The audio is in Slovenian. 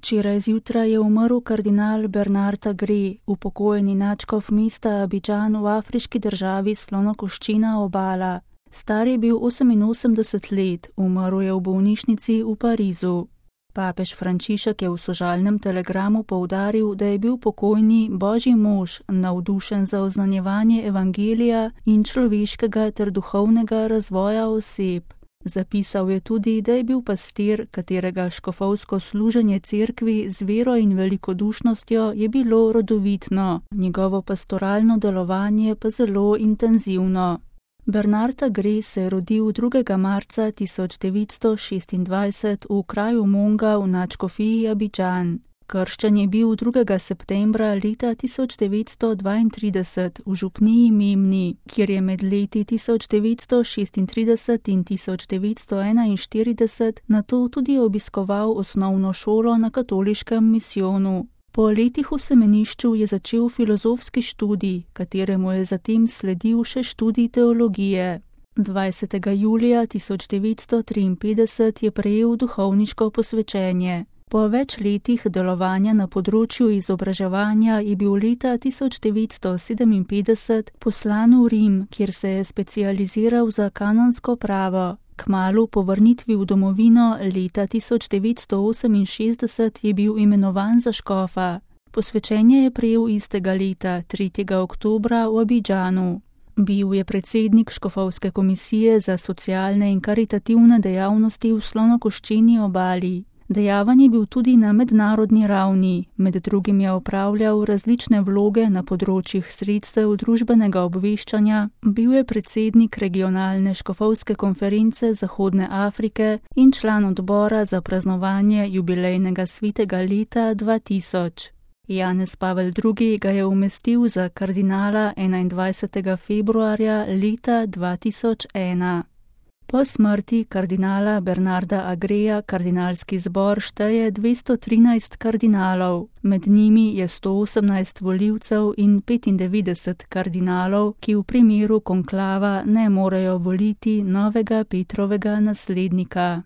Včeraj zjutraj je umrl kardinal Bernard Agré, upokojeni nadškof mesta Abidžan v afriški državi Slonokoščena obala. Star je bil 88 let, umrl je v bolnišnici v Parizu. Papež Frančišek je v sožalnem telegramu poudaril, da je bil pokojni božji mož, navdušen za oznanjevanje evangelija in človeškega ter duhovnega razvoja oseb. Zapisal je tudi, da je bil pastir, katerega škofovsko služenje cerkvi z vero in velikodušnostjo je bilo rodovitno, njegovo pastoralno delovanje pa zelo intenzivno. Bernard Agré se je rodil 2. marca 1926 v kraju Monga v nadškofiji Abidžan. Krščen je bil 2. septembra leta 1932 v župniji Memni, kjer je med leti 1936 in 1941 nato tudi obiskoval osnovno šolo na katoliškem misijonu. Po letih v semenišču je začel filozofski študij, kateremu je zatem sledil še študij teologije. 20. julija 1953 je prejel duhovniško posvečenje. Po več letih delovanja na področju izobraževanja je bil leta 1957 poslan v Rim, kjer se je specializiral za kanonsko pravo. Kmalu po vrnitvi v domovino leta 1968 je bil imenovan za škofa. Posvečenje je prejel istega leta, 3. oktobra v Abidžanu. Bil je predsednik škofovske komisije za socialne in karitativne dejavnosti v Slonokoščeni obali. Dejaven je bil tudi na mednarodni ravni, med drugim je opravljal različne vloge na področjih sredstev družbenega obveščanja, bil je predsednik regionalne škofovske konference Zahodne Afrike in član odbora za praznovanje jubilejnega svetega leta 2000. Janez Pavel II. Ga je umestil za kardinala 21. februarja leta 2001. Po smrti kardinala Bernarda Agréja kardinalski zbor šteje 213 kardinalov, med njimi je 118 volivcev in 95 kardinalov, ki v primeru konklava ne morejo voliti novega Petrovega naslednika.